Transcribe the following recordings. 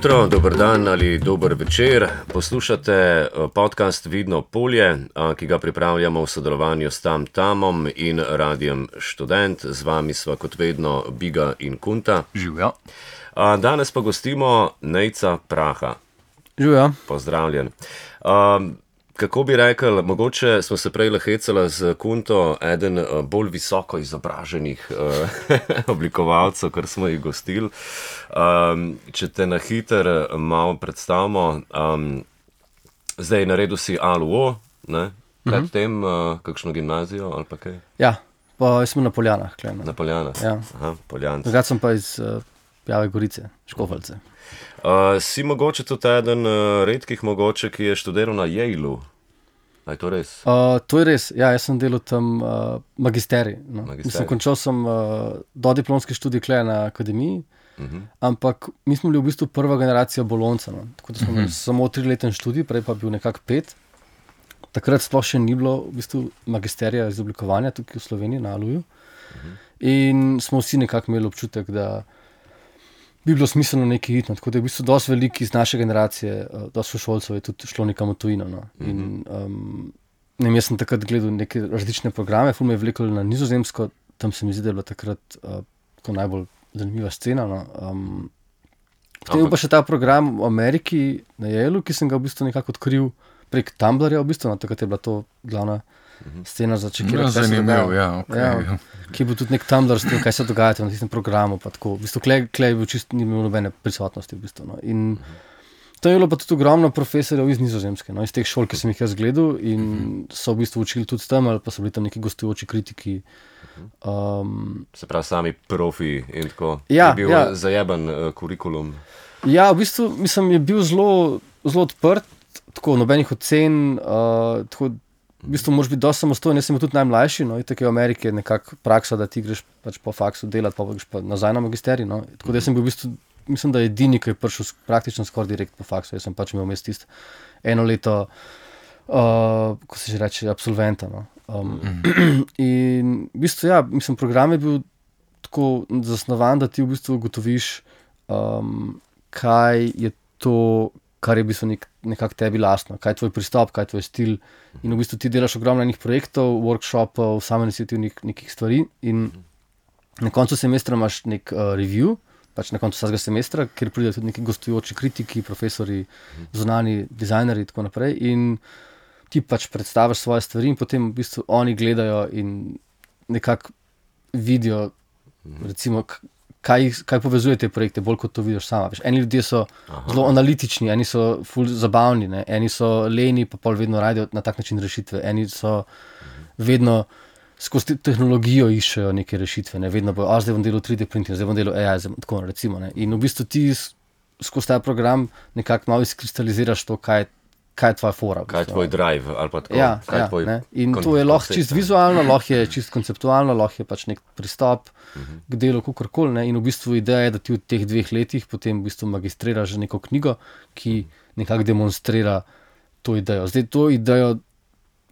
jutro, dober dan ali dober večer. Poslušate podcast Vidno polje, ki ga pripravljamo v sodelovanju s Tamtamom in Radijem Študent. Z vami sva kot vedno Biga in Kunta. Živjo. Danes pa gostimo Nejca Praha. Živjo. Pozdravljen. Kako bi rekel, mogoče smo se prej hecali z Kunto, eden bolj visoko izobraženih oblikovalcev, kar smo jih gostili. Če te na hiter malo predstavimo, zdaj naredil si ALUO, ne? Predtem kakšno gimnazijo ali pa kaj? Ja, pa jaz sem na Poljanah. Na Poljanah? Ja. Aha, Poljanci. Drugače sem pa iz Pjave Gorice, Škofeljce. Si mogoče tudi eden redkih mogoče, ki je študiral na Yaleu. Je to res? To je res, ja, jaz sem delal tam magisterij. No. Mislim, končal sem dodiplomski študij tukaj na akademiji, ampak mi smo bili v bistvu prva generacija bolonca. No. Tako da smo imeli samo 3-leten študij, prej pa bil nekako 5. Takrat sploh še ni bilo v bistvu magisterija izoblikovanja tukaj v Sloveniji, na ALUju. In smo vsi nekako imeli občutek, da bi bilo smiselno nekaj iti. No. Tako da je v bistvu dosti veliko iz naše generacije, dosti sošolcev je tudi šlo nekam v tujino. No. In jaz sem takrat gledal neke različne programe, ful me je vlekel na Nizozemsko, tam se mi zdi, da je bila takrat tako najbolj zanimiva scena. No. Potem je pa še ta program v Ameriki na Yaleu, ki sem ga v bistvu nekako odkril prek Tumblrja, v bistvu, no, takrat je bila to glavna scena za čekirati. Zanimivo, ja, okay. Ja, ki je bil tudi nek Tumblr s tem, kaj se dogaja na tistem programu, pa tako. V bistvu, klej je bil čist, ni imel nobene prisotnosti, v bistvu, no. In to je bilo pa tudi ogromno profesorjev iz Nizozemske, no, iz teh šol, ki sem jih jaz gledal in so v bistvu učili tudi s tem, ali pa so bili tam neki gostujoči kritiki. Se pravi, sami profi in tako. Ja, je bil zajeben kurikulum. Ja, v bistvu, mislim, je bil zelo odprt, tako nobenih ocen, tako v bistvu moraš biti dosti samostojen, jaz sem bil tudi najmlajši, no, in tako je v Ameriki je nekako praksa, da ti greš pač po faksu delati, pa greš pa nazaj na magisterij, no, tako da jaz sem bil v bistvu, mislim, da je edini, ki je prišel praktično skoraj direkt po faksu, jaz sem pač imel vmes tisto eno leto, ko se že reče, absolventa, no. In v bistvu, ja, mislim, program je bil tako zasnovan, da ti v bistvu ugotoviš, kaj je to, kar je v bistvu nekako tebi lastno, kaj je tvoj pristop, kaj je tvoj stil. In v bistvu ti delaš ogromno enih projektov, workshopov, samoiniciativnih nekih stvari in na koncu semestra imaš nek review, pač na koncu vsakega semestra, kjer pridejo tudi neki gostujoči kritiki, profesori, zunanji dizajnerji in tako naprej in ti pač predstaviš svoje stvari in potem v bistvu oni gledajo in nekako vidijo, recimo, kaj povezuje te projekte, bolj kot to vidiš sama. Eni ljudje so zelo analitični, eni so ful zabavni, ne? Eni so leni, pa pol vedno radijo na tak način rešitve. Eni so vedno skozi tehnologijo iščejo neke rešitve, ne? Vedno bojo, zdaj bom delal 3D printing, zdaj bom delal AI, tako recimo. Ne? In v bistvu ti skozi ta program nekako malo izkristaliziraš to, kaj je tvoja fora. Kaj je tvoj drive ali pa tako. Ja, in to je lahko čist vizualno, lahko je čist konceptualno, lahko je pač nek pristop k delu, kakorkoli, ne. In v bistvu ideja je, da ti v teh 2 letih potem v bistvu magistriraš neko knjigo, ki nekako demonstrira to idejo. Zdaj to idejo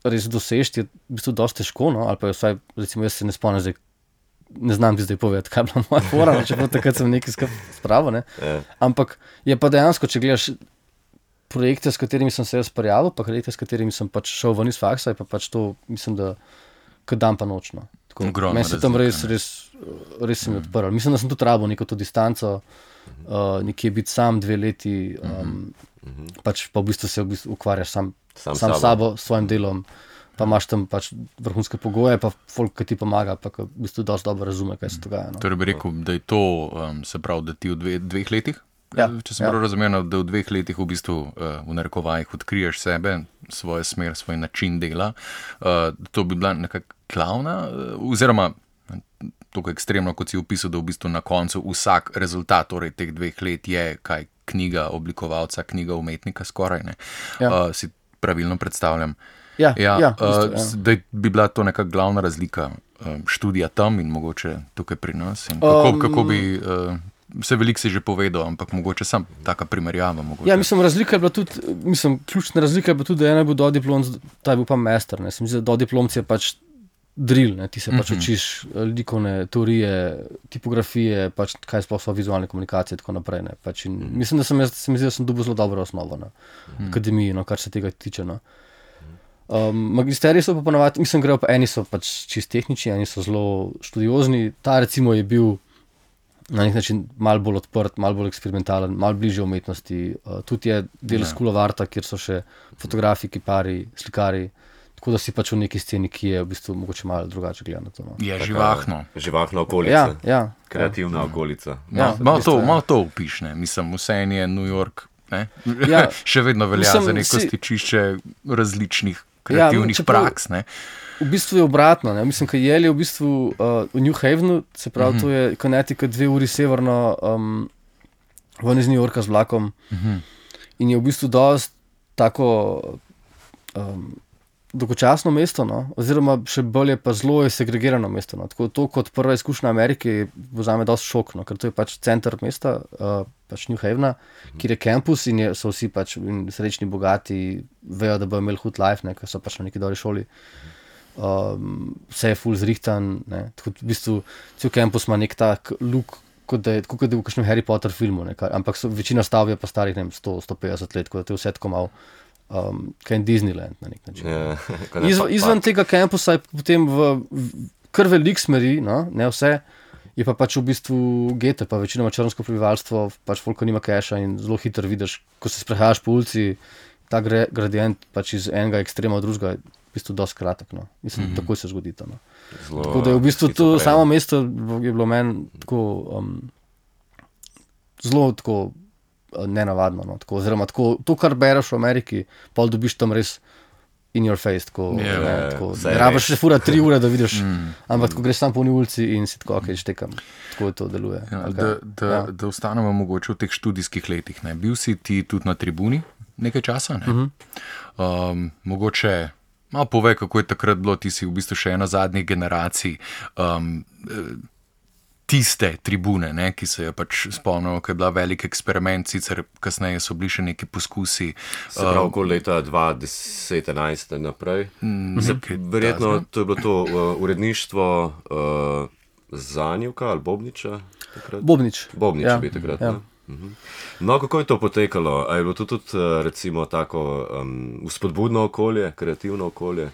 res dosežeti je v bistvu dosti težko, no, ali pa vsaj, recimo jaz se ne spomnim zdaj, ne znam ti zdaj povedati, kaj je bila moja fora, čeprav takrat sem nekaj spravo, ne. Ampak je pa dejansko, če gledaš projekte, s katerimi sem se jaz prijavil, pa projekte, s katerimi sem pač šel ven iz faksa, je pa pač to, mislim, da kot dan pa noč, no. Meni se tam res se mi odprl. Mislim, da sem tudi rabil neko to distanco, nekje biti sam 2 leti, pač pa v bistvu se ukvarjaš sam sabo, s svojim delom, pa imaš tam pač vrhunske pogoje, pa folk, ki ti pomaga, pa v bistvu dosti dobro razume, kaj se dogaja. No. Torej bi rekel, da je to, se pravi, da ti v 2 letih? Ja, če sem prav razumel, da v 2 letih v bistvu v narekovajih odkriješ sebe, svojo smer, svoj način dela. To bi bila nekako glavna, oziroma tako ekstremno, kot si opisal, da v bistvu na koncu vsak rezultat torej teh 2 let je kaj knjiga oblikovalca, knjiga umetnika skoraj, ne. Si pravilno predstavljam. Ja, da bi bila to neka glavna razlika študija tam in mogoče tukaj pri nas. In kako bi se veliko si že povedal, ampak mogoče sam taka primerjava. Mogoče. Ja, mislim, razlika je bila tudi, ključna razlika je bila tudi, da ena je bil dodiplomc, ta je bil pa master, ne. Se mi zdi, da dodiplomc je pač drill, ne? Ti se pač učiš likovne teorije, tipografije, pač kaj sploh so vizualne komunikacije in tako naprej. Ne? Pač mislim, da se mi zdi, da sem dobil zelo dobro osnovo na akademiji, no, kar se tega tiče. No. Magisteriji so pa ponovadi, mislim, grejo pa eni so pač čist tehnični, eni so zelo študiozni. Ta recimo je bil na nek način malo bolj odprt, malo bolj eksperimentalen, malo bližje umetnosti. Tudi je del School of Arta, kjer so še fotografi, kipari, slikari. Tako da si pač v neki sceni, ki je v bistvu mogoče malo drugače gleda na to. No. Je živahno. Živahna okolica. Ja. Kreativna okolica. Malo to opišne. Mislim, vseeno je New York, še vedno velja za neko stičišče različnih kreativnih praks. Ne? V bistvu je obratno. Ne? Mislim, kaj Yale je v bistvu v New Havenu, se pravi, to je Connecticut 2 uri severno ven iz New Yorka z vlakom. In je v bistvu dosti tako dolgočasno mesto, no? Oziroma še bolje pa zelo je segregirano mesto. No? Tako to kot prva izkušnja Amerike vzame dosti šok, no? Ker to je pač center mesta, pač New Havena, kjer je kampus in so vsi pač srečni, bogati, vejo, da bojo imeli hud life, ne? Ker so pač na neki dobri šoli. Vse je ful zrihtan, ne? Tako v bistvu cel kampus ima nek tak look, kot da je v kakšnem Harry Potter filmu, ne? Ampak večina stavb je pa starih 100-150 let, tako da to je vse tako malo kaj je Disneyland na nek način. Izven tega kampusa je potem kar velik smeri, no, ne vse, je pa pač v bistvu gete, pa večinoma črnsko prebivalstvo, pač folko nima keša in zelo hitro vidiš, ko se sprehajaš po ulici, ta gradient pač iz enega ekstrema v drugega je v bistvu dosti kratek. No. Mislim, takoj se zgodi to. No. Tako da je v bistvu to samo mesto je bilo meni tako zelo tako nenavadno. No, tako, oziroma, tako, to, kar bereš v Ameriki, pol dobiš tam res in your face. Tako, ne rabiš še fura 3 ure, da vidiš, ampak ko greš tam po ulici in si tako, ok, štekam. Tako to deluje. Da ostanemo mogoče v teh študijskih letih. Ne? Bil si ti tudi na tribuni nekaj časa? Ne? Mogoče malo povej, kako je takrat bilo, ti si v bistvu še ena zadnjih generacij tiste tribune, ne, ki se je pač spomnil, ko je bila velik eksperiment, sicer kasneje so bili še neki poskusi. Se pravi, okoli leta 2010-2011 naprej. Verjetno to je bilo to uredništvo Zanjevka ali Bobniča? Takrat? Bobnič je bil takrat. Ja. No, kako je to potekalo? A je bilo to tudi recimo tako vzpodbudno okolje, kreativno okolje?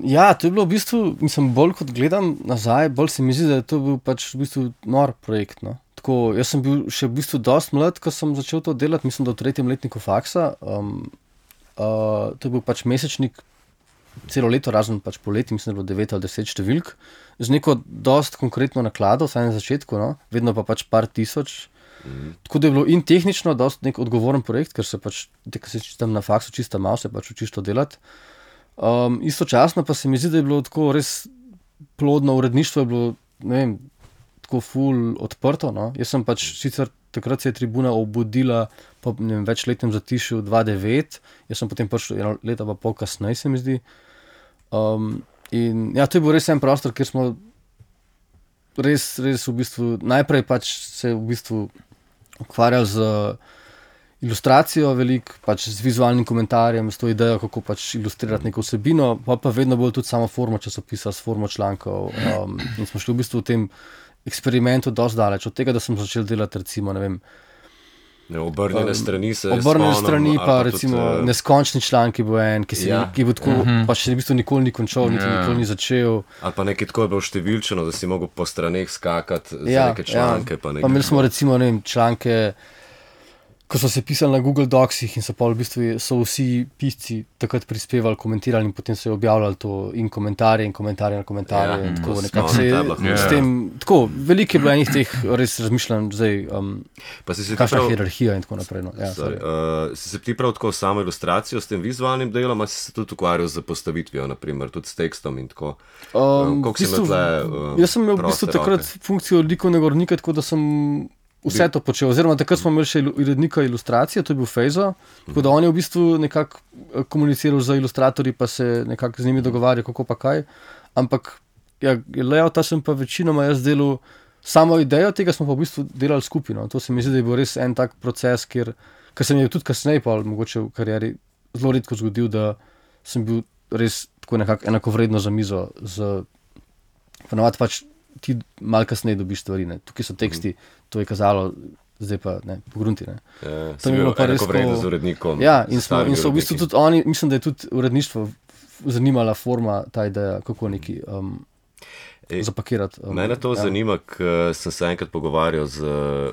Ja, to je bilo v bistvu, mislim, bolj kot gledam nazaj, bolj se mi zdi, da je to bil pač v bistvu nor projekt. No. Tako, jaz sem bil še v bistvu dosti mlad, ko sem začel to delati, mislim, da v 3. letniku faksa. To je bil pač mesečnik celo leto, razen pač poleti, mislim, da je bilo 9 ali 10 številk, z neko dosti konkretno naklado, vsaj na začetku, no, vedno pa pač par tisoč. Tako da je bilo in tehnično dosti nek odgovoren projekt, ker se pač, ko se tam na faksu čista malo, se pač učiš to delati. Istočasno pa se mi zdi, da je bilo tako res plodno uredništvo, je bilo, ne vem, tako ful odprto. No? Jaz sem pač sicer takrat se je tribuna obudila po večletnem zatišju 2009, jaz sem potem prišel 1 leto pa pol kasneje, se mi zdi. In ja, to je bil res en prostor, kjer smo res v bistvu, najprej pač se v bistvu ukvarjali z ilustracijo veliko, pač z vizualnim komentarjem, s to idejo, kako pač ilustrirati neko vsebino, pa vedno bolj tudi samo formo časopisa, s formo člankov. In smo šli v bistvu v tem eksperimentu dosti daleč. Od tega, da sem začel delati recimo, ne vem, obrnjene strani se obrnjene strani, pa recimo tudi, neskončni članki bo en, ki bo tako, pa še v bistvu nikoli ni končal, niti nikoli ni začel. Ali pa nekaj tako je bilo številčeno, da si mogel po straneh skakati za neke članke. Pa imeli smo recimo, ne vem, članke, ko so se pisali na Google Docsih in so pa v bistvu so vsi pisci takrat prispevali, komentirali in potem se je objavljalo to in komentarje na komentarje. In tako nekako se je s tem, tako, veliko je bilo enih teh res razmišljanj zdaj, kakšna hierarhija in tako naprej. No. Ja, si se ti prav tako samo ilustracijo s tem vizualnim delom, ali si se tudi ukvarjal z postavitvijo, naprimer, tudi s tekstom in tako? Jaz sem imel v bistvu takrat funkcijo likovnega urednika, tako da sem vse to počel, oziroma takrat smo imeli še urednika ilustracije, to je bil Fejzo, tako da on je v bistvu nekako komuniciral z ilustratorji, pa se nekako z njimi dogovarjal, kako pa kaj, ampak ja, layouta sem pa večinoma jaz delal, samo idejo tega smo pa v bistvu delali skupaj, no. To se mi zdi, da je bil res en tak proces, ker se mi je tudi kasneje pa mogoče v karieri zelo redko zgodil, da sem bil res tako nekako enakovredno za mizo. Ponovadi pač ti malo kasneje dobiš stvari. Ne. Tukaj so teksti, to je kazalo, zdaj pa ne, pogrunti. Sem bil enakovredno z urednikom. Ja, in so v bistvu tudi oni, mislim, da je tudi uredništvo zanimala forma, ta ideja, kako neki zapakirati. Mene to zanima, ker sem se enkrat pogovarjal z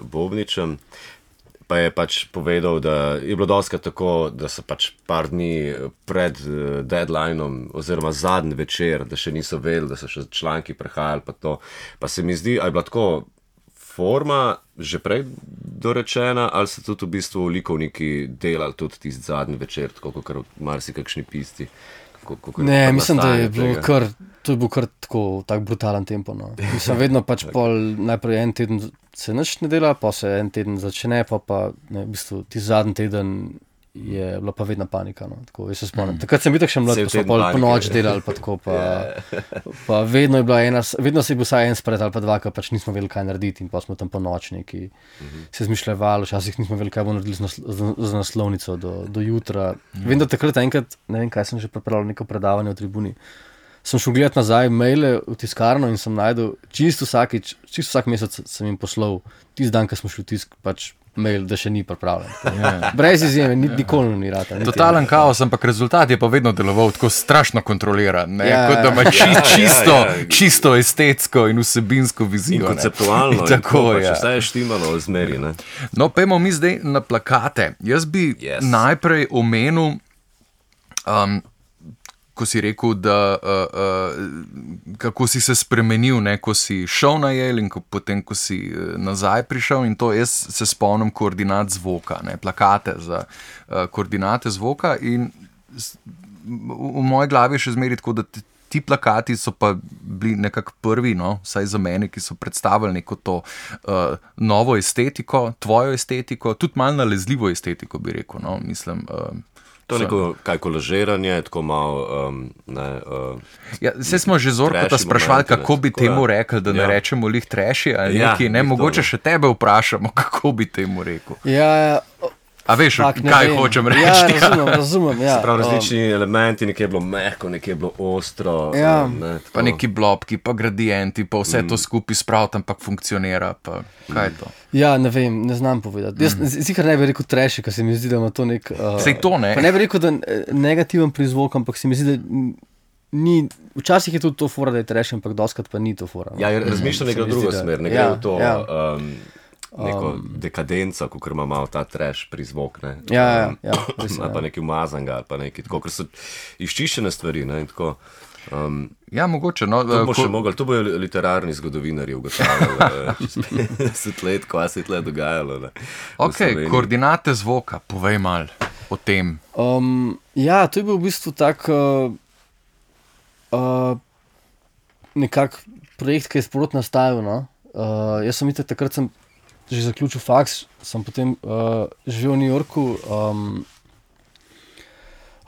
Bobničem, pa je pač povedal, da je bilo dostikrat tako, da so pač par dni pred deadlineom oziroma zadnji večer, da še niso vedeli, da so še članki prehajali, pa se mi zdi, a je bila tako forma že prej dorečena, ali so tudi v bistvu likovniki delali tudi tisti zadnji večer, tako kot marsikakšni pisci. Ne, mislim, da je bilo to je bil kar tak brutalen tempo. No. Mislim, vedno pač najprej en teden se nič ne dela, pa se en teden začne, pa ne, v bistvu ti zadnji teden je bila pa vedno panika. No. Tako, jaz se spomnim. Takrat sem bil tak še mlad, pa smo po noč delali, pa tako, pa vedno je bila vedno se je bil vsaj en spred ali pa dva, ker pač nismo vedeli, kaj narediti in pa smo tam po noč neki se zmišljevali, včasih nismo vedeli, kaj bomo naredili z naslovnico do jutra. Vem, da takrat enkrat, ne vem, kaj sem že pripravljal, neko predavanje v Tribuni, sem šel gledati nazaj maile v tiskarno in sem najdel čisto vsak mesec sem jim poslal tisti dan, ko smo šli v tisk, pač mail, da še ni pripravljen. Brez izjeme, nikoli ni rata. Totalen kaos, ampak rezultat je pa vedno deloval tako strašno kontroliran, kot da ima čisto estetsko in vsebinsko vizijo. In konceptualno, tako je. Vse je štimalo v zmeri. Ne? No, pojmo mi zdaj na plakate. Jaz bi najprej omenil, ko si rekel, da kako si se spremenil, ne, ko si šel na Yale in potem, ko si nazaj prišel, in to jaz se spomnim koordinat zvoka, ne, plakate za koordinate zvoka, in v moji glavi je še zmeraj tako, da ti plakati so pa bili nekako prvi, no, vsaj za mene, ki so predstavili neko to novo estetiko, tvojo estetiko, tudi malo nalezljivo estetiko, bi rekel, no, mislim. To je neko kaj kolažiranje, tako malo... Saj smo že Zorkota sprašvali, kako bi temu rekli, da ne rečemo lih treši, ali nekaj, ne, mogoče še tebe vprašamo, kako bi temu rekel. Ja, a veš, kaj hočem reči? Ja, razumem, ja. Se pravi, različni elementi, nekje je bilo mehko, nekje je bilo ostro. Ja. Pa neki blobki, pa gradienti, pa vse to skupaj spraviti, ampak funkcionira, pa kaj je to? Ja, ne vem, ne znam povedati. Jaz sicer ne bi rekel treši, ker se mi zdi, da ima to nek... Sej to, ne? Pa ne bi rekel, da negativen prizvok, ampak se mi zdi, da ni... Včasih je tudi to fora, da je treši, ampak dostikrat pa ni to fora. Ja, razmišljam nekaj v drugo smer, ne gre v to... neko dekadenco, ko ima malo ta trash prizvok, ne. Ja. Ali pa neki umazanga, ali pa neki tako, ker so izčiščene stvari, ne, in tako. Ja, mogoče, no. To bo literarni zgodovinarji ugotavljali, čez 50 let, ko se je tle dogajalo, ne. Ok, koordinate zvoka, povej malo o tem. Ja, to je bil v bistvu tak nekak projekt, ki je sprot nastajal, no. Jaz sem takrat že zaključil faks, sem potem živel v New Yorku,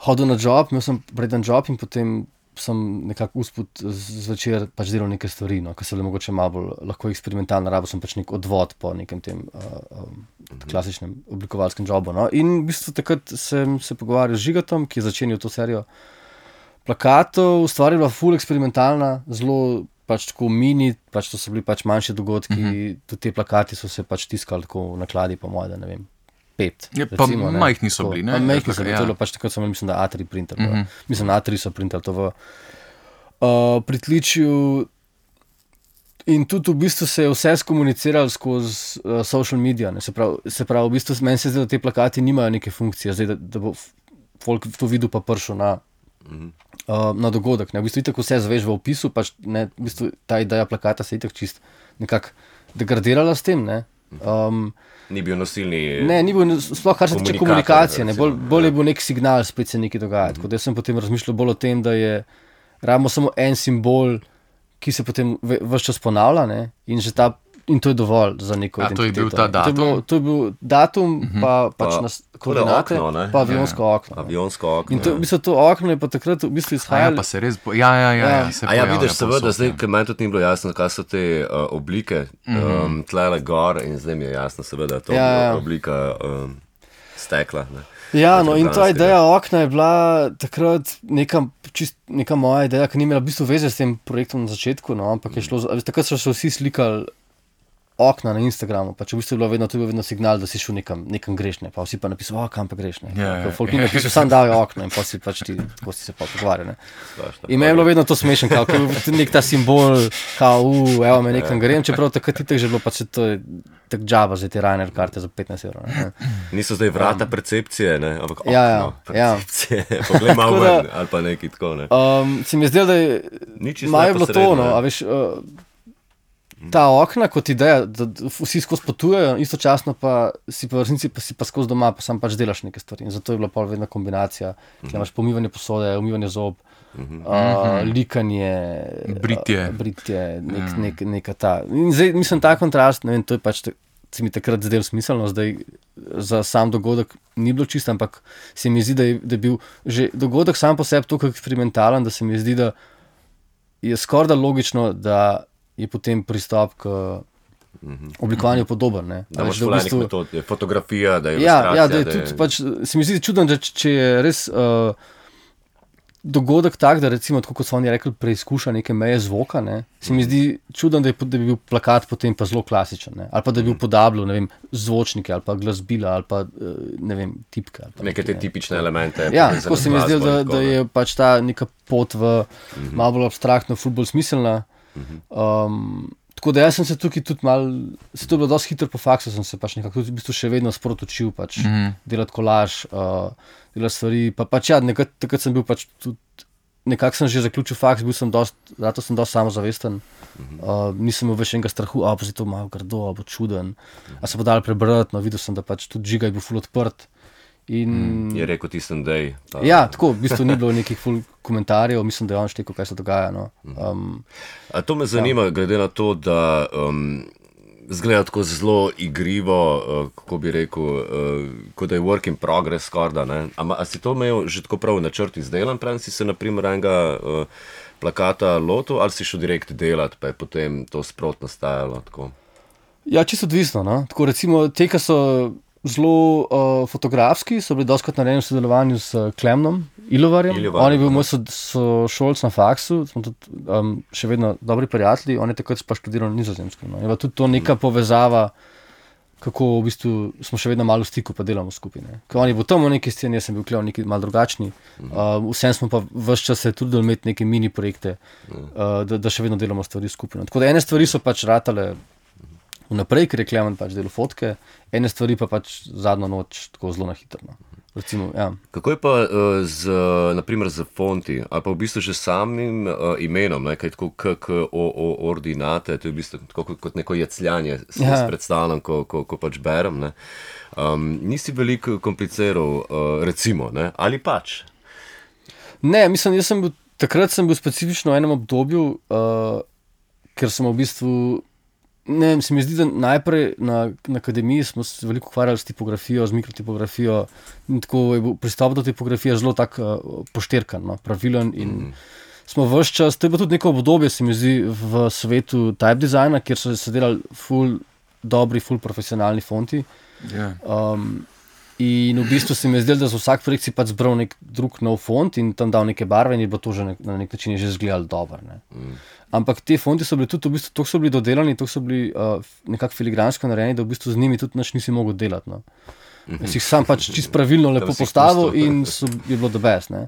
hodil na job, imel sem preden job in potem sem nekako usput zvečer pač delal neke stvari, no, ki so bile mogoče malo bolj lahko eksperimentalne, rabil sem pač nek odvod po nekem tem klasičnem oblikovalskem jobu. No. In v bistvu takrat sem se pogovarjal z Žigatom, ki je začenil to serijo plakatov, stvar je bila ful eksperimentalna, zelo pač tako mini, pač to so bili pač manjši dogodki, tudi te plakati so se pač tiskali tako v nakladi, po moje, da ne vem, 5. Ja, pa majhni so bili, ne? Majhni so bili, to je bilo pač takrat sem mislim, da A3 printer. Mislim, A3 so printali to v pritličju in tudi v bistvu se je vse skomuniciralo skozi social media, ne? Se pravi, v bistvu meni se zdi, da te plakati nimajo neke funkcije, zdaj, da bo folk to videl pa prišel na dogodek. Ne? V bistvu itak vse zveš v opisu, pač ne, v bistvu ta ideja plakata se itak čist nekako degradirala s tem, ne. Ni bil nosilni... Ne, ni bil, sploh kar se tiče komunikacije, ne, bolj je bil nek signal, spet se nekaj dogaja. Tako da jaz sem potem razmišljal bolj o tem, da rabimo samo en simbol, ki se potem ves čas ponavlja, ne, in to je dovolj za neko identiteto. To je bil ta datum? To je bil datum, pa pač koordinate, pa avionsko okno. Avionsko okno, in to, v bistvu, to okno je pa takrat v bistvu izhajalo... Ja, pa se res... Ja, se pojavlja. Vidiš, seveda, zdaj, ker meni tudi ni bilo jasno, kaj so te oblike, tlele gor, in zdaj mi je jasno, seveda, to oblika stekla, ne. Ja, no in ta ideja okna je bila takrat neka moja ideja, ki ni imela v bistvu veze s tem projektom na začetku, no, ampak je šlo, takrat so se vsi slikali okna na Instagramu, pa če v bistvu je bilo vedno signal, da si šel nekam greš, ne, pa vsi pa napisali, kam pa greš, ne. Folk ni napisal, sam dajo okno in pa si pač ti, ko si se pa pogovarjal, ne. In me je bilo vedno to smešen, kao, ker je nek ta simbol, kao, evo me nekam grem, čeprav takrat itak že bilo, pa se to je tak džaba za te Ryanair karte za 15 €, ne. Niso zdaj vrata percepcije, ne, ampak okno Ja. percepcije. Poglej malo ven, ali pa nekaj tako, ne. Se mi je zdelo, da je malo bilo to, no, a veš, ta okna kot ideja, da vsi skozi potujejo, istočasno pa si pa v resnici pa skozi doma, pa sam pač delaš neke stvari. In zato je bila pol vedno kombinacija, kjer imaš pomivanje posode, umivanje zob, likanje, britje, neka ta. In zdaj, mislim, ta kontrast, ne vem, to je pač, se mi takrat zdel smiselno, zdaj za sam dogodek ni bilo čisto, ampak se mi zdi, da je bil že dogodek sam po sebi toliko eksperimentalen, da se mi zdi, da je skoraj da logično, da je potem pristop k oblikovanju podoben. Ne? Da imaš v metod, je fotografija, da je ilustracija. Ja, da je tudi, pač, se mi zdi čudno, da če je res dogodek tak, da recimo, tako kot so oni rekli, preizkuša neke meje zvoka, ne? Se mi zdi čudno, da bi bil plakat potem pa zelo klasičen, ne? Ali pa da bi upodabljal, ne vem, zvočnike, ali pa glasbila, ali pa, ne vem, tipke. Neke te tipične elemente. Ja, tako se mi zdi, da je pač ta neka pot v malo bolj abstraktno, ful bolj smiselna. Tako da jaz sem se tukaj tudi malo, se to je bilo dosti hitro po faksu, sem se pač nekako tudi v bistvu še vedno sprot učil, pač delati kolaž, delati stvari, pa pač ja, takrat sem bil pač tudi, nekako sem že zaključil faks, zato sem dosti samozavesten, nisem imel več enega strahu, pa se to malo grdo, bo čuden, a se bo dal prebrati, no videl sem, da pač tudi Žiga je bil ful odprt. In je rekel tistem dej. Ja, tako, v bistvu ni bilo nekih ful komentarjev, mislim, da je on štekel, kaj se dogaja. No. A to me zanima, glede na to, da zgleda tako zelo igrivo, kako bi rekel, kot da je work in progress skorda, ne? A si to imel že tako prav načrt izdelan, preden si se naprimer enega plakata lotil, ali si šel direkt delat, pa je potem to sprot nastajalo tako? Ja, čisto odvisno, no. Tako recimo, te, ki so zelo fotografski, so bili dostikrat narejeni v sodelovanju s Klemnom Ilovarjem. On je bil moj sošolc na faksu, smo tudi še vedno dobri prijatelji, on je takrat pa študiral na Nizozemskem. No. Je pa tudi to neka povezava, kako v bistvu smo še vedno malo v stiku, pa delamo skupaj. Ne. Ker on je bil tam v neki sceni, jaz sem bil Klev neki malo drugačni. Vsem smo pa ves čas se trudili imeti neke mini projekte, da še vedno delamo stvari skupaj. No. Tako da ene stvari so pač ratale vnaprej, ker je Klemen pač delal fotke, ene stvari pa pač zadnjo noč tako zelo na hitro. No. Recimo, ja. Kako je pa naprimer z fonti, ali pa v bistvu že samim imenom, ne, kaj tako ordinate, to je v bistvu tako kot neko jecljanje, si predstavljam, ko pač berem. Ne. Nisi veliko kompliciral, recimo, ne, ali pač? Ne, mislim, takrat sem bil specifično v enem obdobju, ker sem v bistvu ne vem, se mi zdi, da najprej na akademiji smo se veliko ukvarjali s tipografijo, z mikrotipografijo in tako je bil pristop do tipografije zelo tak pošterkan, no, pravilen in smo ves čas, to je bilo tudi neko obdobje, se mi zdi, v svetu type designa, kjer so se delali ful dobri, ful profesionalni fonti. In v bistvu se mi je zdelo, da za vsak projekt si pač zbral nek drug nov font in tam dal neke barve in je bilo to že na nek način že izgledalo dobro. Ampak te fonti so bili tudi v bistvu, toliko so bili dodelani, toliko so bili nekako filigransko narejeni, da v bistvu z njimi tudi nič nisi mogel delati. No. Jaz jih sam pač čisto pravilno lepo postavil in je bilo the best. Ne.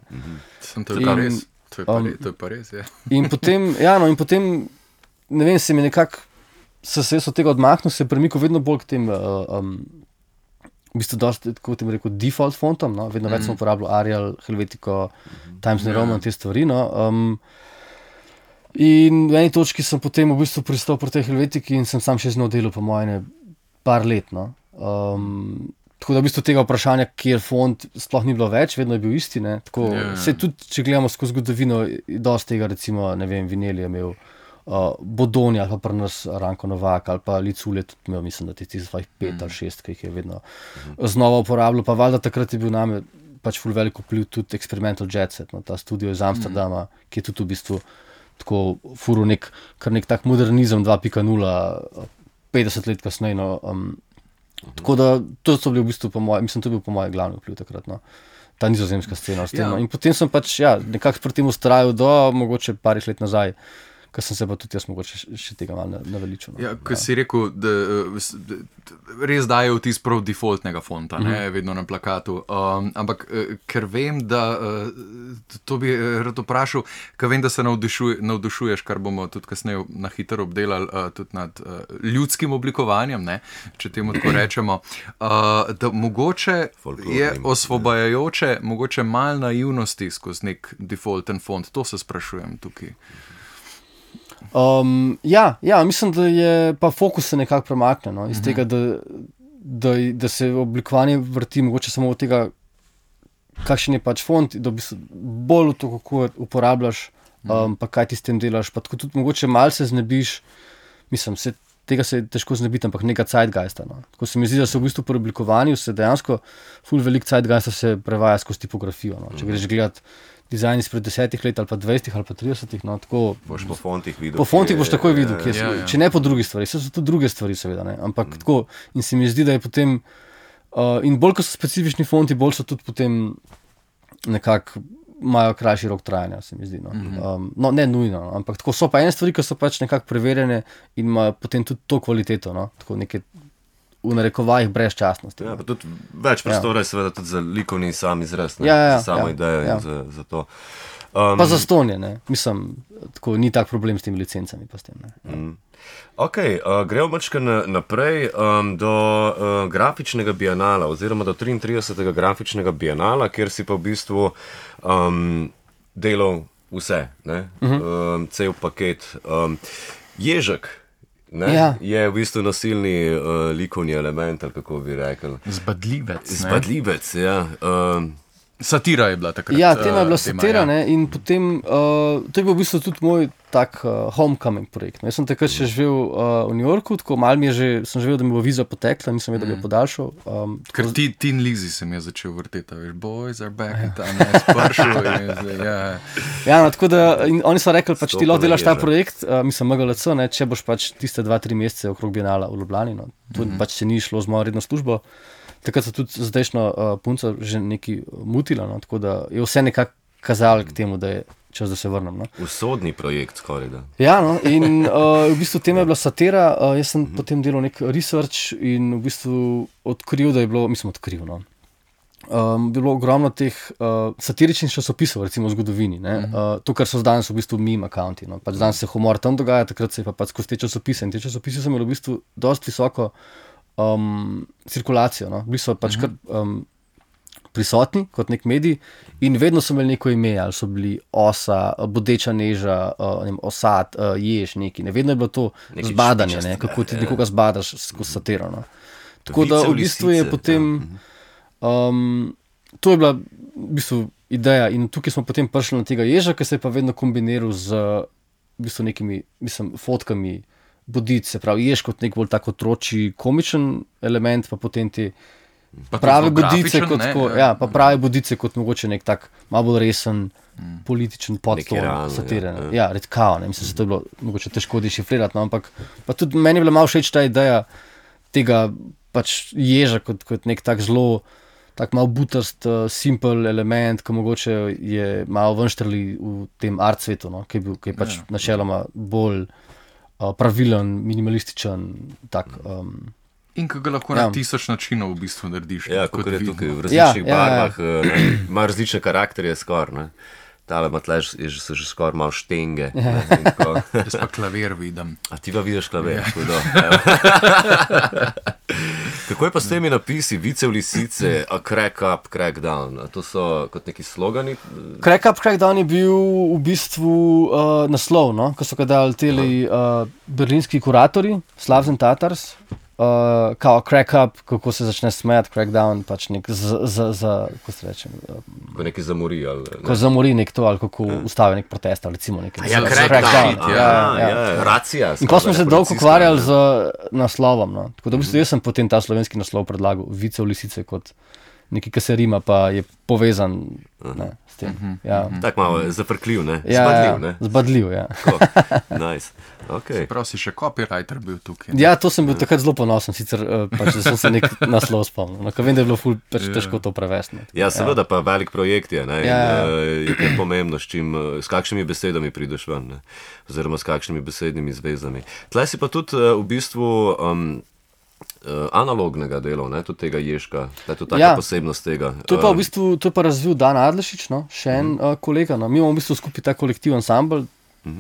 To je pa res. To je pa res, ja. In potem, in potem, ne vem, se mi nekako, se jaz od tega odmahnil, se je premikal vedno bolj k tem, v bistvu dosti, tako tem rekel, default fontom, no, vedno več sem uporabljal Arial, Helvetico, Times New Roman, te stvari, no. In v eni točki sem potem v bistvu pristal pri tej Helvetiki in sem sam še z njo delal po moje par let, no. Tako da v bistvu tega vprašanja, kjer font, sploh ni bilo več, vedno je bil isti, ne. Tako, se tudi, če gledamo skozi zgodovino, dosti tega, recimo, ne vem, Vinelli je imel, Bodoni ali pa pri nas Ranko Novak ali pa Liculje tudi imel, mislim, da tistih svojih 5 ali 6, ki jih je vedno znova uporabljal, pa valjda takrat je bil name pač ful veliko vpliv tudi Experimental Jet Set, no, ta studio iz Amsterdama, ki je tudi v bistvu tako furil kar nek tak modernizem 2.0, 50 let kasneje, no, Tako da to so bili v bistvu po mojem, mislim, to je bil po mojem glavni vpliv takrat, no. Ta nizozemska scena s tem. Ja. In potem sem pač, nekako pri tem ustrajal do mogoče parih let nazaj, ko sem se pa tudi jaz mogoče še tega malo naveličil. No. Ja, ko si rekel, da res daje vtis prav defaultnega fonta, vedno na plakatu. Ampak ker vem, da to bi rad vprašal, ker vem, da se navdušuješ, kar bomo tudi kasneje na hitro obdelali, tudi nad ljudskim oblikovanjem, ne, če temu tako rečemo, da mogoče je osvobajajoče, mogoče malo naivnosti skozi nek defaulten font. To se sprašujem tukaj. Mislim, da je pa fokus se nekako premakne, no, iz tega, da se oblikovanje vrti mogoče samo od tega, kakšen je pač font, da bi se bolj v to, kako uporabljaš, pa kaj ti s tem delaš, pa tako tudi mogoče malo se znebiš, mislim, tega se je težko znebiti, ampak nekaj zeitgeista. No. Tako se mi zdi, da se v bistvu pri oblikovanju se dejansko ful velik zeitgeista se prevaja skozi tipografijo. No. Če greš gledati dizajn izpred 10 let ali pa 20 ali pa 30, no, tako... Boš po fontih videl. Po fontih boš takoj videl, če ne po drugih stvari. So tudi druge stvari, seveda, ne. Ampak tako, in se mi zdi, da je potem... in bolj, ko so specifični fonti, bolj so tudi potem nekako imajo krajši rok trajanja, se mi zdi. No. No, ne nujno, ampak tako so pa ene stvari, ki so pač nekako preverjene in imajo potem tudi to kvaliteto, no. Tako neke v narekovajih brezčasnosti. Ja, pa tudi več prostora je seveda tudi za likovni sam izraz, za samo idejo in za to. Pa za stonje, ne. Mislim, tako ni tak problem s temi licencami pa s tem, ne. Ok, gremo mačka naprej do grafičnega bienala oziroma do 33. grafičnega bienala, kjer si pa v bistvu delal vse, ne? Cel paket. Ježek je v bistvu nasilni likovni element, ali kako bi rekel. Zbadljivec, ja. Satira je bila takrat. Ja, tema je bila satira, ne, in potem, to je bil v bistvu tudi moj tak homecoming projekt. Jaz sem takrat še živel v New Yorku, tako malo sem živel, da mi bo viza potekla, nisem vedel, da bi jo podaljšal. Ker Tin Lizzy se mi je začel vrteti, veš, boys are back in tam je spršil. Ja, no, tako da, in oni so rekli, pač ti lahko delaš ta projekt, mislim, MGLC, ne, če boš pač tiste 2-3 mesece okrog bienala v Ljubljani, no, tudi pač se ni šlo z mojo redno službo. Takrat so tudi zdajšnjo punco že nekaj mutila, no, tako da je vse nekako kazalo k temu, da je čas, da se vrnem. No. Usodni projekt skoraj, da. Ja, no, in v bistvu tema je bila satira, jaz sem potem delal nek research in v bistvu odkril, da je bilo, no, bilo ogromno teh satiričnih časopisov, recimo v zgodovini, ne, to, kar so danes v bistvu meme accounti, no, pač danes se humor tam dogaja, takrat se je pa pač skozi te časopise in te časopise so imeli v bistvu dosti visoko cirkulacijo, no. Bili so pač kar prisotni kot nek medij in vedno so imeli neko ime, ali so bili osa, bodeča neža, osad, jež, neki, ne, vedno je bilo to neki zbadanje, ne, kako ti nekoga zbadaš skozi satiro, no. Tako da v bistvu je potem, to je bila v bistvu ideja in tukaj smo potem prišli na tega ježa, ki se je pa vedno kombiniral z v bistvu nekimi, mislim, fotkami bodic, se pravi, ješ kot nek bolj tako otročji komičen element, pa potem te prave bodice kot tako, pa prave bodice kot mogoče nek tak malo bolj resen političen podton satire. Ja, redkao, ne, mislim, se to je bilo mogoče težko dešifrirati, no, ampak pa tudi meni je bila malo všeč ta ideja tega pač ježa kot nek tak zelo tak malo butast, simple element, ki mogoče je malo venštrli v tem art svetu, no, ki je pač načeloma bolj pravilen, minimalističen, tak. In ko ga lahko na 1000 načinov v bistvu narediš. Ja, kot je tukaj v različnih barvah, ima različne karakterje skoraj, ne. Tale matlež so že skoraj malo štenge. Jaz pa klavir vidim. A ti pa vidiš klavir, hudo. Kako je pa s temi napisi, vice v lisice, a crack up, crack down? A to so kot neki slogani? Crack up, crack down je bil v bistvu naslov, no? Ko so ga dali teli berlinski kuratorji, Slavs and Tatars, kao crack up, kako se začne smejati, crack down, pač nek kako se reče? Ko neki zamori, ali? Ne? Ko zamori nek to, ali kako ustavi nek protest, ali recimo nekaj. Ja, crack down, racija. In ko smo se dolgo ukvarjali z naslovom, no. Tako da v bistvu jaz sem potem ta slovenski naslov predlagal, vice v lisice kot nekaj, kar se rima, pa je povezan ne, s tem. Ja. Tako malo zafrkljiv, ne? Zbadljiv, ne? Zbadljiv, ja. Nice. Okay. Prav si še copywriter bil tukaj. Ja, to sem bil takrat zelo ponosen, sicer pač, da sem se nek naslov spomnil. No, vem, da je bilo ful pač težko to prevesti. Ja, seveda pa velik projekt je, ne? Ja. In je pomembno, s kakšnimi besedami prideš ven, ne? Oziroma s kakšnimi besednimi zvezami. Tlej si pa tudi v bistvu analognega dela, ne? Tudi tega Ježka, to je tudi taka posebnost tega. To je pa v bistvu, to je pa razvil Dan Adlešič, no? Še en kolega. No? Mi imamo v bistvu skupaj ta kolektiv ansambl,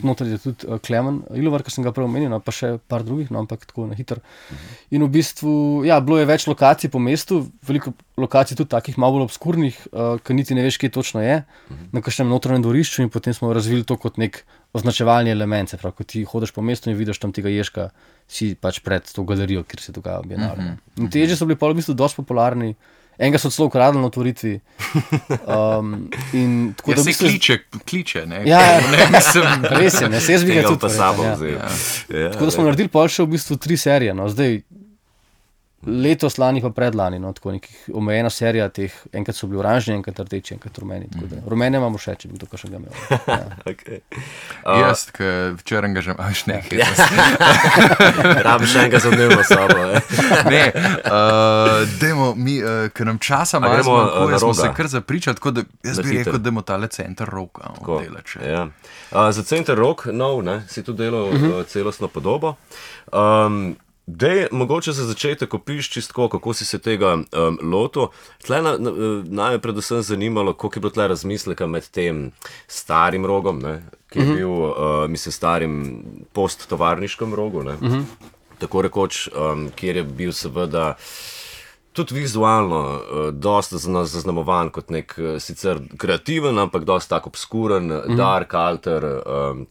noter je tudi Klemen Ilovar, ki sem ga prej omenil, no, pa še par drugih, no, ampak tako na hitro. In v bistvu, ja, bilo je več lokacij po mestu, veliko lokacij tudi takih malo bolj obskurnih, ki niti ne veš, kje točno je, na kakšnem notranjem dvorišču in potem smo razvili to kot nek označevalni element, se pravi, ko ti hodiš po mestu in vidiš tam tega Ježka, si pač pred to galerijo, kjer se dogaja bienale. In te Ježi so bili pa v bistvu dosti popularni. Enega so celo ukradli na otvoritvi. Ja, se kliče, ne? Ja, res je, ne, se jaz bi ga tudi pa sabo vzel. Tako da smo naredili pol še v bistvu 3 serije, no, zdaj letos, lani pa predlani, no, tako nekih omejena serija teh, enkrat so bili oranžni, enkrat rdeči, enkrat rumeni, tako da rumene imamo še, če bi to kakšnega imel. Ja. Okay. Jaz, ki včeraj ga že imaš nekaj. Rabiš enega za dnevno sobo. Ne, dajmo mi, ker nam časa malo zmanjkuje, smo se kar zapričali, tako da jaz bi rekel, dajmo tale Center Rock delati. Ja. Za Center Rock, nov, ne, si tu delal celostno podobo. Dej, mogoče za začetek opiš čistko, kako si se tega lotil. Tle naj me predvsem zanimalo, koliko je bilo tle razmisleka med tem starim rogom, ne, ki je bil, mislim, starim posttovarniškem rogu, ne, tako rekoč, kjer je bil seveda tudi vizualno dosta zaznamovan kot nek sicer kreativen, ampak dosta tako obskuren, dark alter,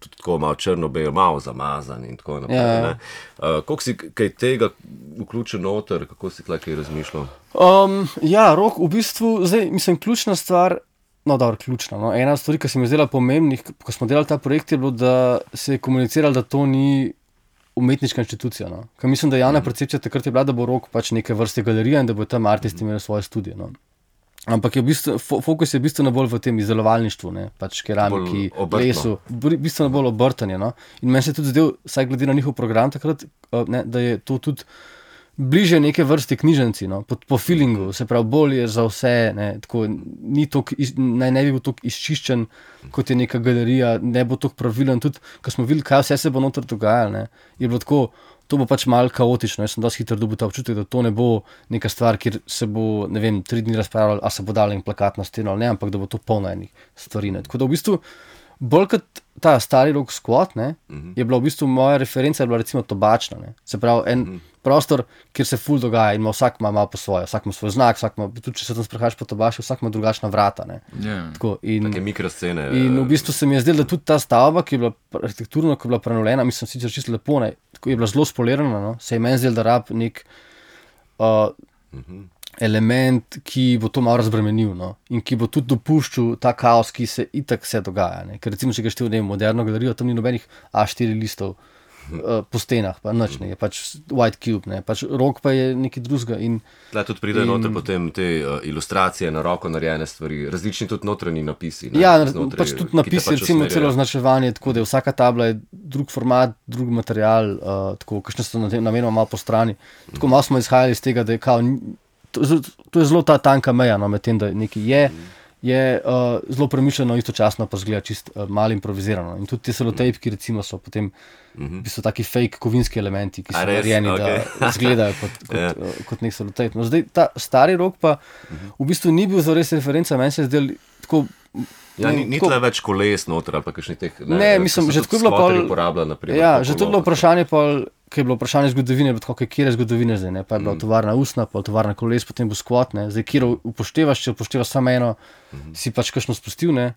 tudi tako malo črno-bel, malo zamazan in tako naprej. Ne. Koliko si kaj tega vključil noter, kako si tle kaj razmišljal? Ja, rok v bistvu, zdaj, mislim, ključna stvar, ključna, no, ena stvar, ki se mi je zdela pomembnih, ko smo delali ta projekt, je bilo, da se je komuniciralo, da to ni umetniška inštitucija. No. Ker mislim, da javna percepcija takrat je bila, da bo rok pač neke vrste galerija in da bo tam artisti imeli svoje studije. No. Ampak je v bistvu, fokus je bistveno bolj v tem izdelovalništvu, ne, pač keramiki, lesu, bistveno bolj obrtanje. No. In meni se je tudi zdel, saj glede na njihov program takrat, ne, da je to tudi bliže neke vrste knjižnici, no, po feelingu, se pravi, bolj je za vse, ne, tako, naj ne bi bil tako izčiščen, kot je neka galerija, ne bo tako pravilen, tudi, ko smo videli, kaj vse se bo noter dogajalo, ne, je bilo tako, to bo pač malo kaotično, jaz sem dosti hitro dobil ta občutek, da to ne bo neka stvar, kjer se bo, ne vem, 3 dni razpravljalo, a se bo dal en plakat na steno ali ne, ampak da bo to polno enih stvari, ne, tako da v bistvu, bolj kot ta stari rock squat, ne, je bila v bistvu moja referenca, je bila recimo tobačna, ne, se pravi, en prostor, kjer se ful dogaja in vsak ima malo po svoje, vsak ima svoj znak, tudi če se tam sprehajaš po tobaši, vsak ima drugačna vrata, ne. Tako, take mikroscene. In v bistvu se mi je zdelo, da tudi ta stavba, ki je bila arhitekturno, ki je bila prenovljena, mislim, sicer čisto lepo, ne, tako je bila zelo spolirana, no, se je meni zdelo, da rab nek element, ki bo to malo razbremenil, no, in ki bo tudi dopuščal ta kaos, ki se itak vse dogaja, ne, ker recimo, če ga štel, ne vem, moderno galerijo, tam ni nobenih A4 listov po stenah, pa nič, ne, je pač white cube, ne, pač rok pa je nekaj drugega. Tle tudi pride noter potem te ilustracije, na roko narejene stvari, različni tudi notranji napisi. Ne, ja, pač tudi napisi, recimo celo označevanje, tako da je vsaka tabla je drug format, drug material, tako, kakšne so namenoma malo po strani. Tako malo smo izhajali iz tega, da je kao, to je zelo ta tanka meja, no, med tem, da nekaj je zelo premišljeno, istočasno pa zgleda čist malo improvizirano. In tudi te selotejpki recimo so potem v bistvu taki fake kovinski elementi, ki so narejeni, da izgledajo kot nek selotejp. No, zdaj ta stari rok pa v bistvu ni bil zares referenca, meni se je zdel tako. Ja, ni tle več koles noter ali pa kakšnih teh. Ne, mislim, že tako je bilo pol. Ja, že to je bilo vprašanje pol, ki je bilo vprašanje zgodovine, kjer je zgodovine zdaj, ne, pa je bila tovarna usna, pa tovarna koles, potem bo skvot, ne, zdaj kjer upoštevaš, če upoštevaš samo eno, si pač kakšno spustil, ne,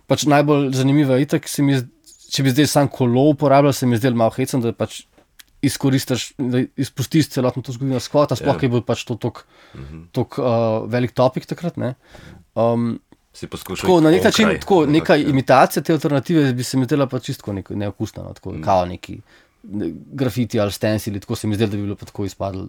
pač najbolj zanimivo je itak, če bi zdaj sam kolo uporabljal, se mi zdel malo hecen, da pač izkoristiš, da izpustiš celotno to zgodovino skvota, sploh je bil pač to tok velik topik takrat, ne. Tako, na nek način, tako, neka imitacija te alternative bi se mi zdela pa čisto neokusna, no, tako, kao neki grafiti ali stencili, tako se mi zdelo, da bi bilo pa tako izpadlo,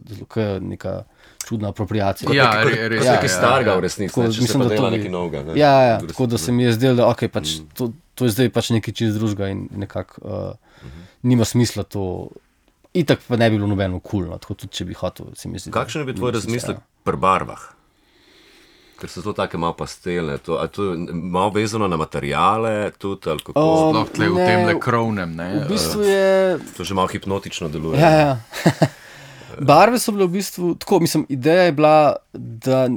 neka čudna apropriacija. Ja, res je nekaj starega v resnici, če se pa dela nekaj novega. Ne? Ja, tako da se mi je zdelo, da okay, pač, to je zdaj pač nekaj čist drugega in nekako nima smisla to. Itak pa ne bi bilo nobeno kulno, tako tudi če bi hotel, se mi zdi. Kakšen je bil tvoj razmislek pri barvah? Ker so to take malo pastelne, to je malo vezano na materijale tudi, ali kako? Sploh tle v tem le krovnem, ne? V bistvu je... To že malo hipnotično deluje. Ja. Barve so bile v bistvu, tako, mislim, ideja je bila, da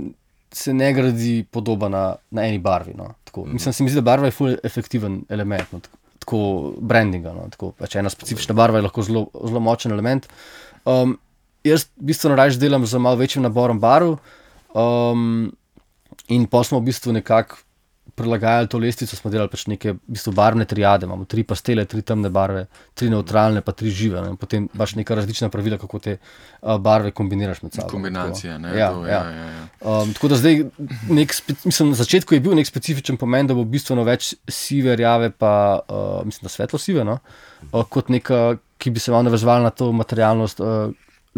se ne gradi podoba na eni barvi, no. Tako, mislim, se mi zdi, da barva je ful efektiven element, no, tako brandinga, no, tako, pač ena specifična barva je lahko zelo močen element. Jaz bistveno raje delam z malo večjim naborom barv, in pa smo v bistvu nekako prilagajali to lestvico, smo delali pač neke v bistvu barvne triade, imamo 3 pastele, 3 temne barve, 3 nevtralne, pa 3 žive, ne? In potem imaš neka različna pravila, kako te barve kombiniraš med sabo. Kombinacije, ne? Ja. Tako da zdaj, mislim, na začetku je bil nek specifičen pomen, da bo bistveno več sive, rjave, pa mislim, da svetlo sive, no? Kot neka, ki bi se malo navezovala na to materialnost,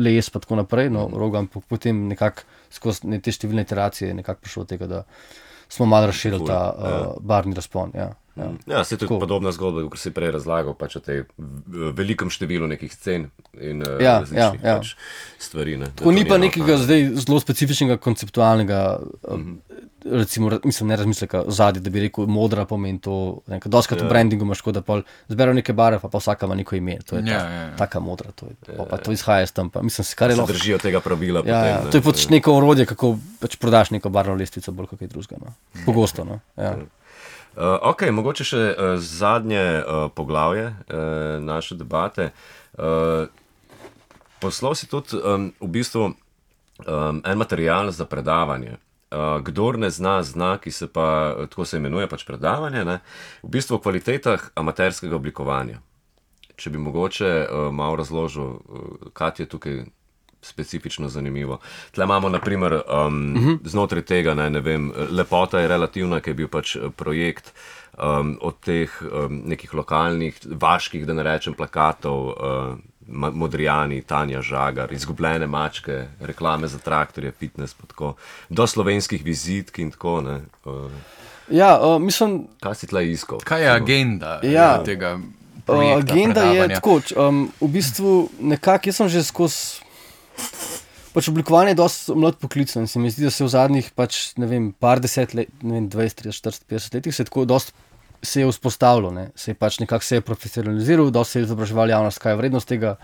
les pa tako naprej, no, Rogan potem nekako skozi te številne iteracije nekako prišlo od tega, da smo malo razširili ta barvni razpon. Ja, se je tudi podobna zgodba, kot si prej razlagal, pač o tej velikem številu nekih scen in različnih pač stvari. Ne, tako ni pa nekega zdaj zelo specifičnega konceptualnega, recimo, mislim, ne razmisleka zadnji, da bi rekel, modra pomeni to, doskrat v brandingu imaš tako, da pol zberajo neke barve, pa vsaka ima neko ime, to je taka modra, pa to izhaja iz tam, pa mislim, kar je lahko. Se držijo tega pravila. To je pač neko orodje, kako pač prodaš neko barvno lestvico, bolj kot kaj drugega, no. Pogosto, no. Ok, mogoče še zadnje poglavje naše debate. Poslal si tudi v bistvu en material za predavanje. Kdor ne zna, ki se pa, tako se imenuje pač predavanje, ne? V bistvu o kvalitetah amaterskega oblikovanja. Če bi mogoče malo razložil, kaj je tukaj specifično zanimivo. Tle imamo, naprimer, znotraj tega, ne vem, lepota je relativna, ki je bil pač projekt od teh nekih lokalnih, vaških, da ne rečem, plakatov, Modrijani, Tanja Žagar, izgubljene mačke, reklame za traktorje, fitness, pa tako, do slovenskih vizitk in tako, ne. Mislim... Kaj si tle iskal? Kaj je agenda tega projekta agenda predavanja? Je tako, v bistvu nekako, jaz sem že skozi pač oblikovanje je dosti mlad poklic, in se mi zdi, da se v zadnjih pač, ne vem, par 10 let, ne vem, 20, 30, 40, 50 letih se tako dosti se je vzpostavilo, ne, se je pač nekako se je profesionaliziral, dosti se je izobraževal javnost, kaj je vrednost tega,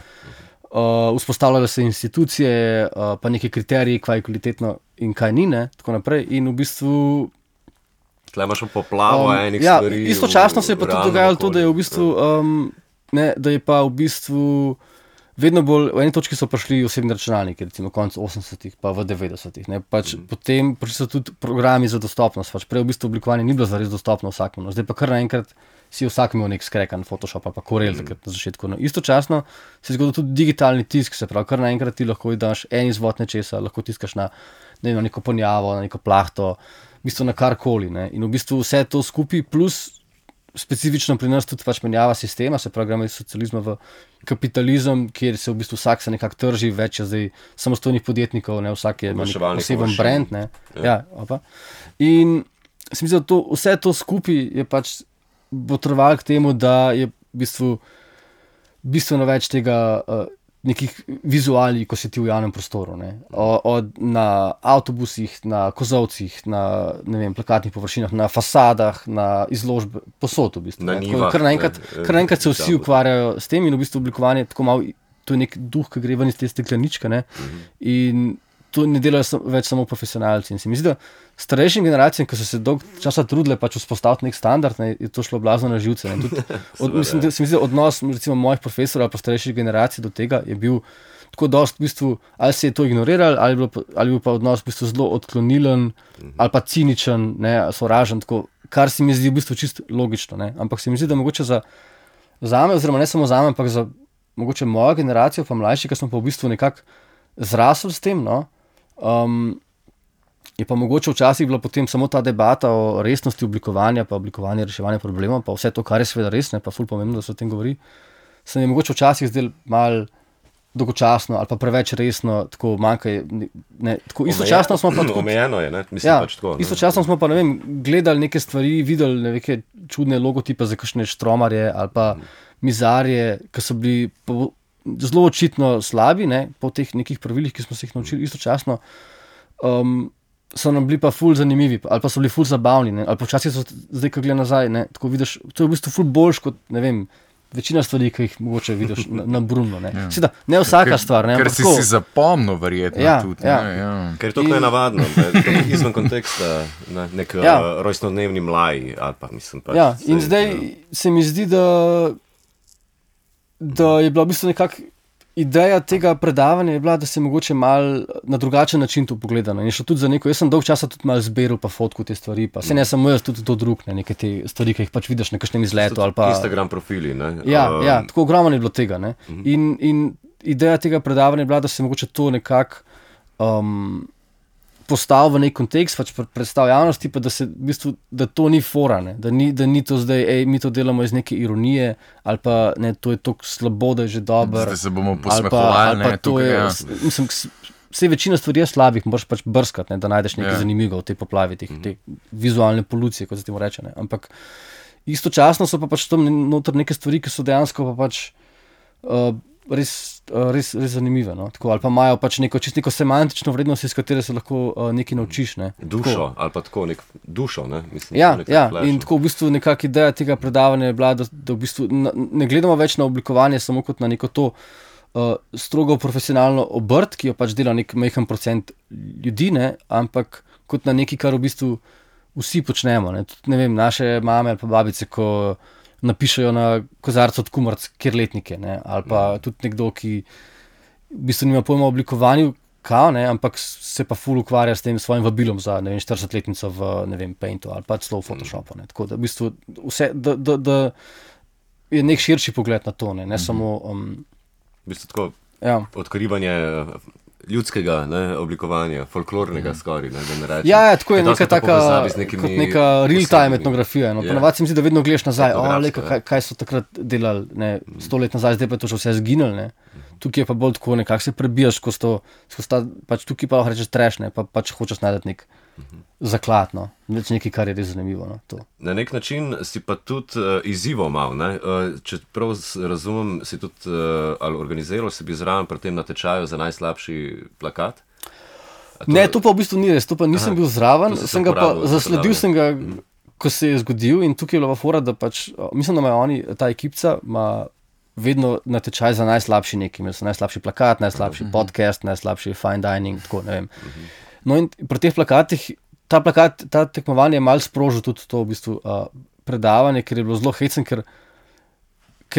vzpostavljale se institucije, pa neke kriteriji, kaj je kvalitetno in kaj ni, ne, tako naprej, in v bistvu tle imaš poplavo enih stvari. Istočasno se je pa tudi dogajalo to, da je v bistvu, da je pa v bistvu vedno bolj, v eni točki so prišli osebni računalniki, recimo konec 80-ih, pa v 90-ih, ne, pač potem prišli so tudi programi za dostopnost, pač prej v bistvu oblikovanje ni bilo zares dostopno vsakemu, no, zdaj pa kar naenkrat si vsak imel nek skrekan Photoshop ali pa Corel takrat na začetku, no, istočasno se je zgodil tudi digitalni tisk, se pravi, kar naenkrat ti lahko daš en izvod nečesa, lahko tiskaš na neko ponjavo, na neko plahto, v bistvu na karkoli, ne, in v bistvu vse to skupaj plus specifično pri nas tudi pač menjava sistema, se pravi, gremo iz socializma v kapitalizem, kjer se v bistvu vsak se nekako trži, več je zdaj samostojnih podjetnikov, ne, vsak je poseben brand, ne. In se mi zdi, da vse to skupaj je pač potrebovalo k temu, da je v bistvu bistveno več tega nekih vizualnih, ko si ti v javnem prostoru, ne. Na avtobusih, na kozovcih, na, ne vem, plakatnih površinah, na fasadah, na izložbe, posod v bistvu. Na njivah. Kar naenkrat se vsi ukvarjajo s tem in v bistvu oblikovanje tako malo, to je nek duh, ki gre ven iz te stekleničke, ne. In to ne delajo več samo profesionalci. In se mi zdi, da starejšim generacijam, ki so se dolgo časa trudile pač vzpostaviti nek standard, ne, je to šlo blazno na živce. Mislim, da se mi zdi, odnos recimo mojih profesorjev ali pa starejših generacij do tega je bil tako dosti v bistvu, ali se je to ignoriralo, ali bil pa odnos v bistvu zelo odklonilen ali pa ciničen, ne, sovražen, tako, kar se mi zdi v bistvu čisto logično, ne. Ampak se mi zdi, da mogoče zame, oziroma ne samo zame, ampak za mogoče mojo generacijo pa mlajši, ki smo pa v bistvu nekako zrasli s tem, no, je pa mogoče včasih bila potem samo ta debata o resnosti oblikovanja, pa oblikovanja reševanja problemov, pa vse to, kar je seveda res, ne, pa ful pomembno, da se o tem govori, se mi je mogoče včasih zdel malo dolgočasno ali pa preveč resno, tako manjka. Tako istočasno smo pa tako. Omejeno je, ne? Mislim pač tako. Istočasno smo pa, ne vem, gledali neke stvari, videli neke čudne logotipe za kakšne štromarje ali pa mizarje, ki so bili zelo očitno slabi, ne, po teh nekih pravilih, ki smo se jih naučili istočasno. So nam bili pa ful zanimivi, ali pa so bili ful zabavni, ne? Ali pa včasih so zdaj, ko gledam nazaj, ne? Tako vidiš, to je v bistvu ful boljš kot, ne vem, večina stvari, ki jih mogoče vidiš na Bruno, ne? Seveda, ne vsaka stvar, ne? Ker si zapomnil verjetno tudi, ne? Ker je to kaj navadno, izven konteksta, nek rojstnodnevni mlaj, ali pa mislim pač. Ja, in zdaj se mi zdi, da je bila v bistvu nekako ideja tega predavanja je bila, da se mogoče malo na drugačen način to pogleda. In še tudi za neko, jaz sem dolg časa tudi malo zbiral pa fotko te stvari, pa se ne samo jaz, tudi to drug, ne, neke te stvari, ki jih pač vidiš na kakšnem izletu ali pa... Instagram profili, ne? Ja, tako ogromno je bilo tega, ne. In ideja tega predavanja je bila, da se mogoče to nekako postavi v nek kontekst, pač predstavi javnosti, pa da se v bistvu, da to ni fora, ne, da ni to zdaj, mi to delamo iz neke ironije, ali pa ne, to je toliko slabo, da je že dobro. Zdaj se bomo posmehovali, ne, tukaj, mislim, vse večina stvari je slabih, moraš pač brskati, ne, da najdeš nekaj zanimivega v tej poplavi, te vizualne polucije, kot se temu reče, ne, ampak istočasno so pa pač tam noter neke stvari, ki so dejansko pa pač res zanimive, no? Tako, ali pa imajo pač neko semantično vrednost, iz katere se lahko nekaj naučiš. Ne? Dušo, tako. Ali pa tako nek dušo. Ne? Mislim, in tako v bistvu nekakšna ideja tega predavanja je bila, da v bistvu ne gledamo več na oblikovanje samo kot na neko to strogo profesionalno obrt, ki jo pač dela nek majhen procent ljudi, ne? Ampak kot na nekaj, kar v bistvu vsi počnemo. Ne vem, naše mame ali pa babice, ko napišejo na kozarcu od kumaric kjerletnike, ne? Ali pa tudi nekdo, ki v bistvu nima pojma o oblikovanju, ampak se pa ful ukvarja s tem svojim vabilom za 40-letnico v Paintu ali pa celo v Photoshopu. Tako da v bistvu vse, da je nek širši pogled na to, ne samo... V bistvu tako odkrivanje ljudskega oblikovanja, folklornega skoraj, da ne rečem. Ja, tako je neka taka, kot neka real-time etnografija. No. Ponavadi se mi zdi, da vedno gledaš nazaj, kaj so takrat delali 100 let nazaj, zdaj pa je to že vse zginilo. Tukaj je pa bolj tako, nekako se prebijaš skozi to, pač tukaj pa lahko rečeš trash, pa pač hočeš najti nek zaklad, nekaj, kar je res zanimivo. Na nek način si pa tudi izzival mal, če prav razumem, si tudi ali organiziral si bi zraven pri tem natečaju za najslabši plakat? Ne, to pa v bistvu ni res, to pa nisem bil zraven, sem ga pa zasledil sem ga, ko se je zgodil in tukaj je bila fora, da pač, mislim, da imajo oni, ta ekipca ima vedno natečaj za najslabši nekaj, imeli so najslabši plakat, najslabši podcast, najslabši fine dining, tako, ne vem. No in pri teh plakatih, ta tekmovanje je malo sprožil tudi to v bistvu predavanje, ker je bilo zelo hecen, ker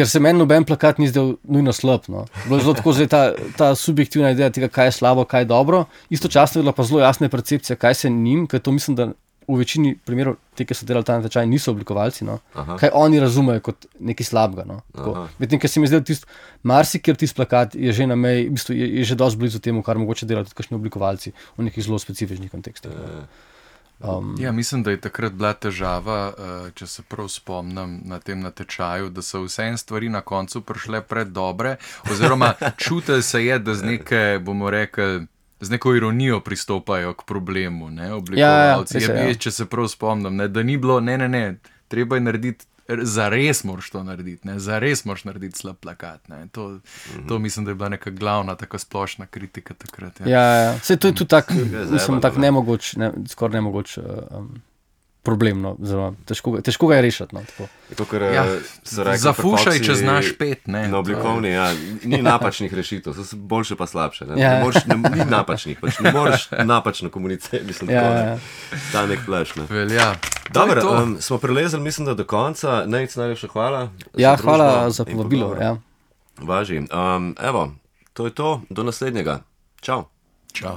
se meni noben plakat ni zdel nujno slab. Bilo je zelo tako zdaj ta subjektivna ideja tega, kaj je slabo, kaj je dobro, istočasno je bila pa zelo jasna percepcija, kaj se njim, ker to mislim, da v večini primerov te, ki so delali ta natečaj, niso oblikovalci, kaj oni razumejo kot nekaj slabega. Medtem, ker se mi zdaj marsikjer tisti plakat je že na meji, v bistvu je že dosti blizu temu, kar mogoče delajo tudi kakšni oblikovalci v nekih zelo specifičnih kontekstih. Ja, mislim, da je takrat bila težava, če se prav spomnim na tem natečaju, da so vse stvari na koncu prišle predobre, oziroma čutili se je, da z neke, bomo rekli, z neko ironijo pristopajo k problemu, oblikovalci. Če se prav spomnim, da ni bilo, ne, treba je narediti, zares moraš to narediti, zares moraš narediti slab plakat. To mislim, da je bila neka glavna, taka splošna kritika takrat. Ja. Saj to je tudi tak, mislim, tak nemogoč, skoraj nemogoč problem, težko ga je rešiti. Zafušaj, če znaš pet. Na oblikovni, ni napačnih rešitev, so boljše pa slabše. Ni napačnih, pač ne moreš napačno komunicirati. Ta nek flash. Dobro, smo prelezali, mislim, da do konca. Najlepša hvala. Hvala za povabilo. Važi. Evo, to je to. Do naslednjega. Čau. Čau.